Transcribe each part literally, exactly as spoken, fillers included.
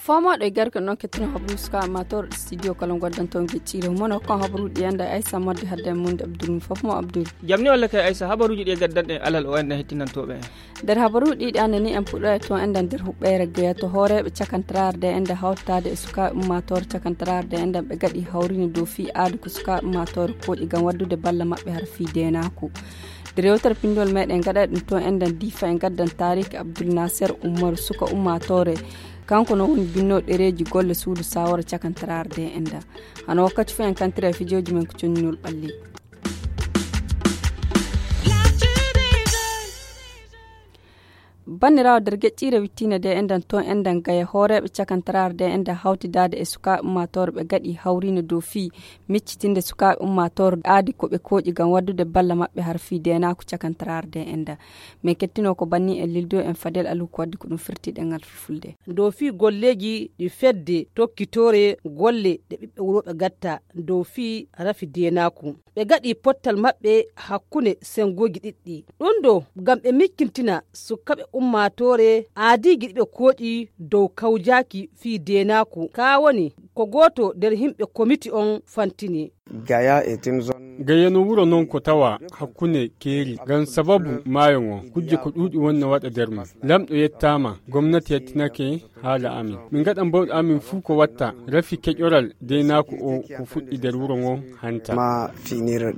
Fomooɗo e garke noon kettino habru suka amator studio kala goddanto geccire mono kon habruɗi enda aysa modde hadde mun abdul fof mo abdul. Jamni walla kay aysa habaruji ɗi gaddanɗe alal o enda hettinantoɓe. Nder habaruji ɗiɗi annani en puɗɗoya to enda nder huɓɓere geya to hooreɓe cakantararde enda hawtade e sukaɓe ummatore cakantararde enda ɓe gaɗi hawrini dow fii aadi ko sukaɓe ummatore koƴi ngam waddude balla maɓɓe har fii denaku. Nder yewtere pindol meɗen gaɗa ɗum to enda difa en gaddan tariki abdul nasir umaru suka ummatore. Kanko no woni binno ɗereji golle suudu sawara cakantararde enda. Hano wakkati fof en kantira e fijoji men ko conninol ɓalli. Banndiraawo nder geƴƴiire wittiinde nde enɗan toon enɗan gaya hooreeɓe cakantaraare nde enɗan hawtidaade e sukaaɓe ummaatoore ɓe gaɗi hawriino dow fii miccitinde sukaaɓe ummaatoore aadi ko ɓe kooƴi ngam waddude balla maɓɓe har fii deenaaku cakantaraare nde enɗan. Min kettinoo ko banni en lildo en fadel alu ko waddi ko ɗum firti ɗengal fulfulde. Dow fii golleeji ɗi fedde tokkitoore golle ɗe ɓiɓɓe wuro ɓe gatta dow fii rafi deenaaku. Ɓe gaɗi pottal maɓɓe hakkunde senngooji ɗiɗɗi. Ɗum ɗo ngam ɓe mikkintina sukkaɓe ummaatoore aadiiji ɗi ɓe kooƴi dow kawjaaki fii deenaaku. Kaa woni ko gooto nder yimɓe komiti on fantini. Gaya no wuro non ko tawa hakkunde keeri ngam sababu maayo ngon kujje ko ɗuuɗi wonno waɗa nder mum. Lamɗo yettaama, gomnati yettinake, haala amin. Min ngaɗan bawɗe amin fuu ko watta rafi keƴoral deenaaku o ko fuɗɗi nder wuro ngon hanta.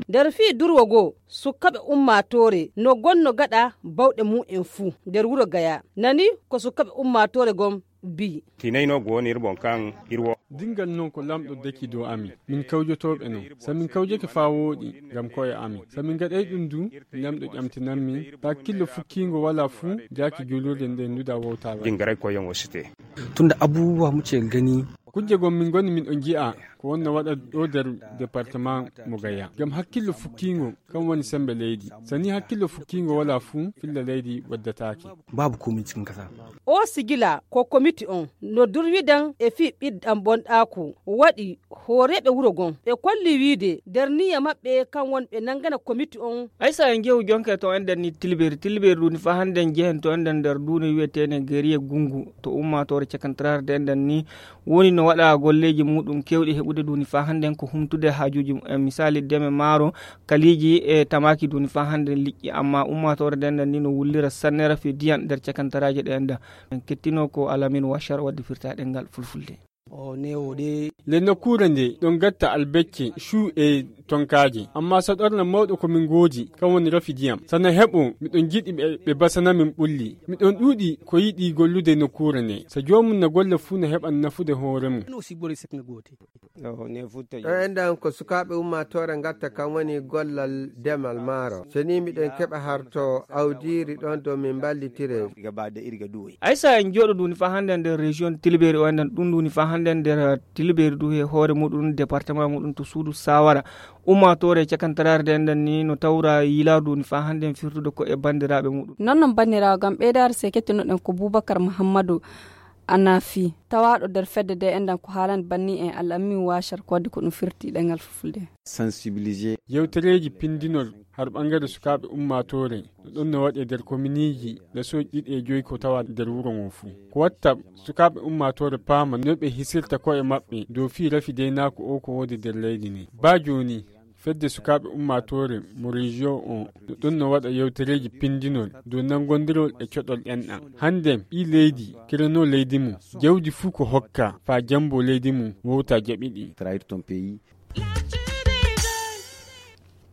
Nder fii durwo goo, sukkaɓe ummaatoore no gonno gaɗa bawɗe mum en fuu nder wuro Gaya. Nani ko sukkaɓe ummaatoore gon mbii. Tinayno go woni ir bon kan ir wo. Dingal non ko lamɗo deki dow amin. Min kawjotooɓe non. So min kawjake faa wooɗi ngam ko'e amin. So min ngaɗay ɗum du, lamɗo ƴamtinan min. Hakkillo fukkiingo walaa fuu, jaaki juulirde nden nuda wowtaa waɗi. Dingaray ko yon o site. Tunda abubuwa muke gani. Kujje gon min ngoni min ɗon nji'a ko wonno waɗa ɗo nder département mo Gaya. Ngam hakkillo fukkiingo kan woni sembe leydi. So ni hakkillo fukkiingo walaa fuu, filla leydi waddataake. Babu komiti cikin kasa. O sigila ko komiti on no durwidan e fii ɓiɗɗan bonɗaaku waɗi hooreeɓe wuro gon. Ɓe kolli wiide nder niyya maɓɓe kan woni ɓe nangana komiti on. Aysa en njehu jonke to enɗan ni tilberi. Tilberi ɗum ni faa hannde en njehen to enɗan nder duuni wi'eteene Geriye Gungu to ummaatoore cakantaraare de enɗan ni woni no waɗa golleeji muɗum keewɗi heɓude duuni faa hannde en ko humtude haajuuji mumen. Misaali deme maaro, kaliiji e tamaaki duuni faa hannde en liƴƴi. Amma ummaatoore de enɗan ni no wullira sannera fii diyan nder cakantaraaje ɗe enɗan. En kettinoo ko Alamin Washar waddi firtaa ɗengal fulfulde. Nde nokkuure nde ɗon gatta albecce, cuu e tonkaaje. Amma saɗorna mawɗo ko min ngoodi, kan woni rafi diyam. Sana heɓo, miɗon jiɗi ɓe, ɓe basana min ɓulli. Miɗon ɗuuɗi ko yiɗi gollude nokkuure nde. So joomum na golla fuu na heɓan nafude hoore mum. Ɗo enɗan ko sukaaɓe ummaatoore ngatta kan woni gollal demal maaro. So ni miɗen keɓa harto awdiiri ɗon dow min mballitire. Aysa en jooɗo duuni faa hannde nder région Tilberi o enɗan ɗum duuni faa hannde nder Tilberi du he hoore muɗum département muɗum to suudu Sawara. Ummaatoore cakantaraare de enɗan ni no tawra yiilaadu ni faa hannde en firtude ko e banndiraaɓe muɗum. Non non banndiraawo ngam ɓeydaare se kettonoɗen ko Bubakar Muhammadu Anafi, tawaaɗo nder fedde de enɗan ko haalani banni en Alamin Washar ko waddi ko ɗum firti ɗengal fulfulde. Yewtereeji pindinol har ɓangare sukaaɓe ummaatoore no ɗon no waɗe nder kominiiji ɗe sooƴi ɗiɗi e joyi ko tawa nder wuro ngon fuu. Ko watta sukaaɓe ummaatoore paama no ɓe hisirta ko'e maɓɓe dow fii rafi deynaaku o ko woodi nder leydi ni. Baa jooni, fedde sukaaɓe ummaatoore mo rejiyo on no ɗon no waɗa yewtereeji pindinol dow nanngondirol e coɗol enɗan. Hannde ɓii leydi kiranoo leydi mum, jawdi fuu ko hokka faa jambo leydi mum wowta jaɓi ɗi.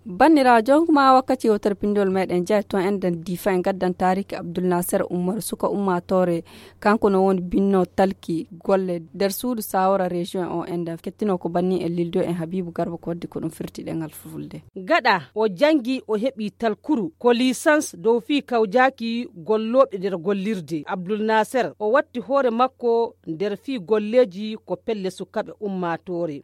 Banndiraawo, jonkuma wakkati yewtere pindol meɗen jaayi toon enɗan diifa en gaddan taariki Abdul Nasir Umaru suka ummaatoore. Kanko no woni binno talki golle nder suudu sawara région o enɗan kettino ko banni en lildo en Habibu Garba ko waddi ko ɗum firti ɗengal fulfulde. Gaɗa o jangi o heɓi talkuru ko licence dow fii kawjaaki gollooɓe nder gollirde. Abdul Nasir o watti hoore makko nder fii golleeji ko pelle sukaɓe ummaatoore.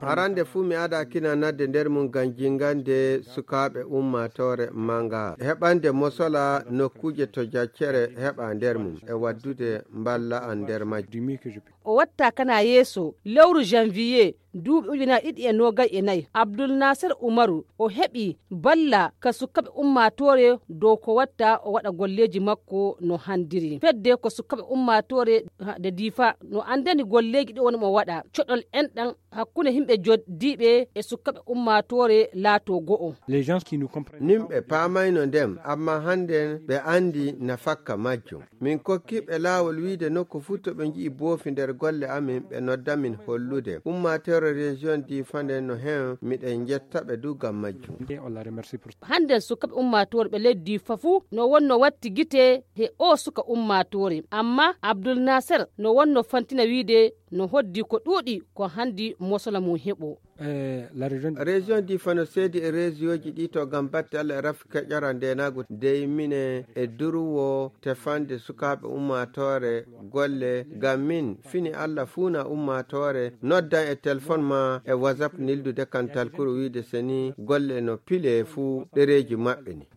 Arande fuu mi ada kina nadde nder mum ngam jingande sukaaɓe ummaatoore manga, heɓande mosola nokkuuje to jaccere heɓa nder mum, e waddude mballa an nder majjum. O watta kana yeeso lewru janvier duuɓi ujunaaji ɗiɗi e noogay e nayi. Abdul Nasir Umaru o heɓi balla ka sukkaɓe ummaatoore dow ko watta o waɗa golleeji makko no handiri. Fedde ko sukkaɓe ummaatoore nde diifa no anndani golleeji ɗi woni mo waɗa coɗol enɗan hakkunde himɓe joddiiɓe e sukkaɓe ummaatoore laato go'o. Nimɓe paamayno ndem amma hannden ɓe anndi nafakka majjum. Min kokki ɓe laawol wiide nokku fuu to ɓe nji'i boofi nder golle amin ɓe nodda min hollude. Ummaatoore région diifa nden no hen miɗen njetta ɓe du ngam majjum. Hannden sukkaɓe ummaatoore ɓe leydi diifa fuu no wonno watti gite he o suka ummaatoore amma abdul naser no wonno fantina wiide no hoddi ko ɗuuɗi ko hanndi mosola mum heɓo. Région diifa no seedi e région ji ɗi to ngam batte allah e rafi keƴora ndenagu dey mine e durwo tefande sukaaɓe ummaatoore golle ngam min fini allah fuuna ummaatoore noddan e telefon ma e whatsapp nildude kantal kuru wiide seni golle no pile fuu ɗereeji maɓɓe ni.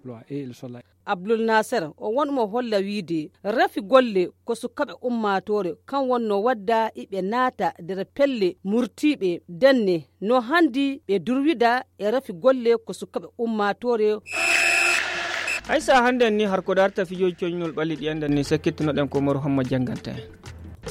Abdul Naser o won mo holla wiide rafi golle ko sukaɓe ummaatoore kan wonno wadda iɓe naata nder pelle murtiiɓe denne no handi ɓe durwida e rafi golle ko sukaɓe ummaatoore. Haysa hannden ni har ko darta fijooji coñnol ɓalli ɗi enɗen ni sakkittunoɗen ko moro homma jannganta en.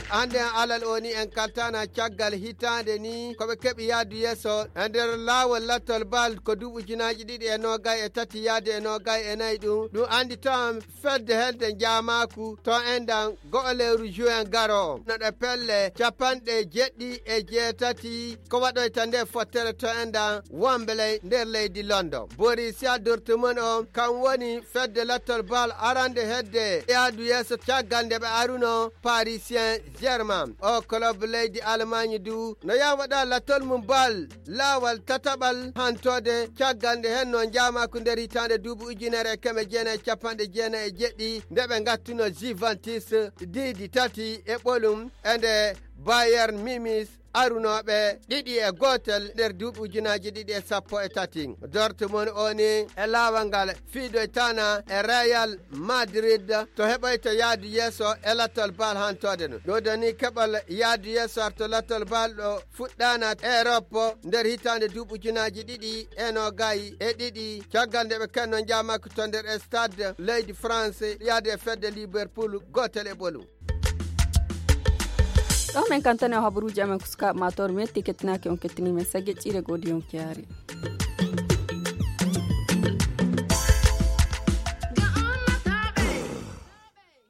Hannden alal o ni en kaltana caggal hitaande ni ko ɓe keɓi yahdu yeeso e nder laawol lattol bal ko duuɓi ujunaaji ɗiɗi e noogay e tati yahdu e noogay e nayi ɗum ɗum anndi tan fedde helde njaamaaku to enɗan go'o lewru juin garo no ɗe pelle capanɗe jeɗɗi e jeetati ko waɗoyta nde fottere to enɗan wonɓe ley nder leydi londo borisia dortumon on kan woni fedde lattol bal arande hedde yahdu yeeso caggal nde ɓe aruno parisien germain o club leydi allemagne du no yaha waɗa lattol mum bal laawal tataɓal hantode caggal nde hen no njaamaaku nder hitaande duuɓi ujunere e keme jeenayi e capanɗe jeenayi e jeɗɗi nde ɓe ngattuno juventus diidi tati e ɓolum e nde bayern mimis arunooɓe ɗiɗi e gootel nder duuɓi ujunaaji ɗiɗi e sappo e tati dortmund o ni e laawal ngal fiidoytana e real madrid to heɓoyta yahdu yeeso e lattol bal hantode no ɗo doni keɓal yahdu yeeso arto lattol bal ɗo fuɗɗana europe nder hitaande duuɓi ujunaaji ɗiɗi e noogay e ɗiɗi caggal nde ɓe kenno njaamaki to nder stade leydi france yahde e fedde liverpool gootel e ɓolum. Ɗo men kantane o habaruuji amen ko sukaaɓe ma toro metti kettinaaki on kettini men sagge ƴiire godi on kiyaari.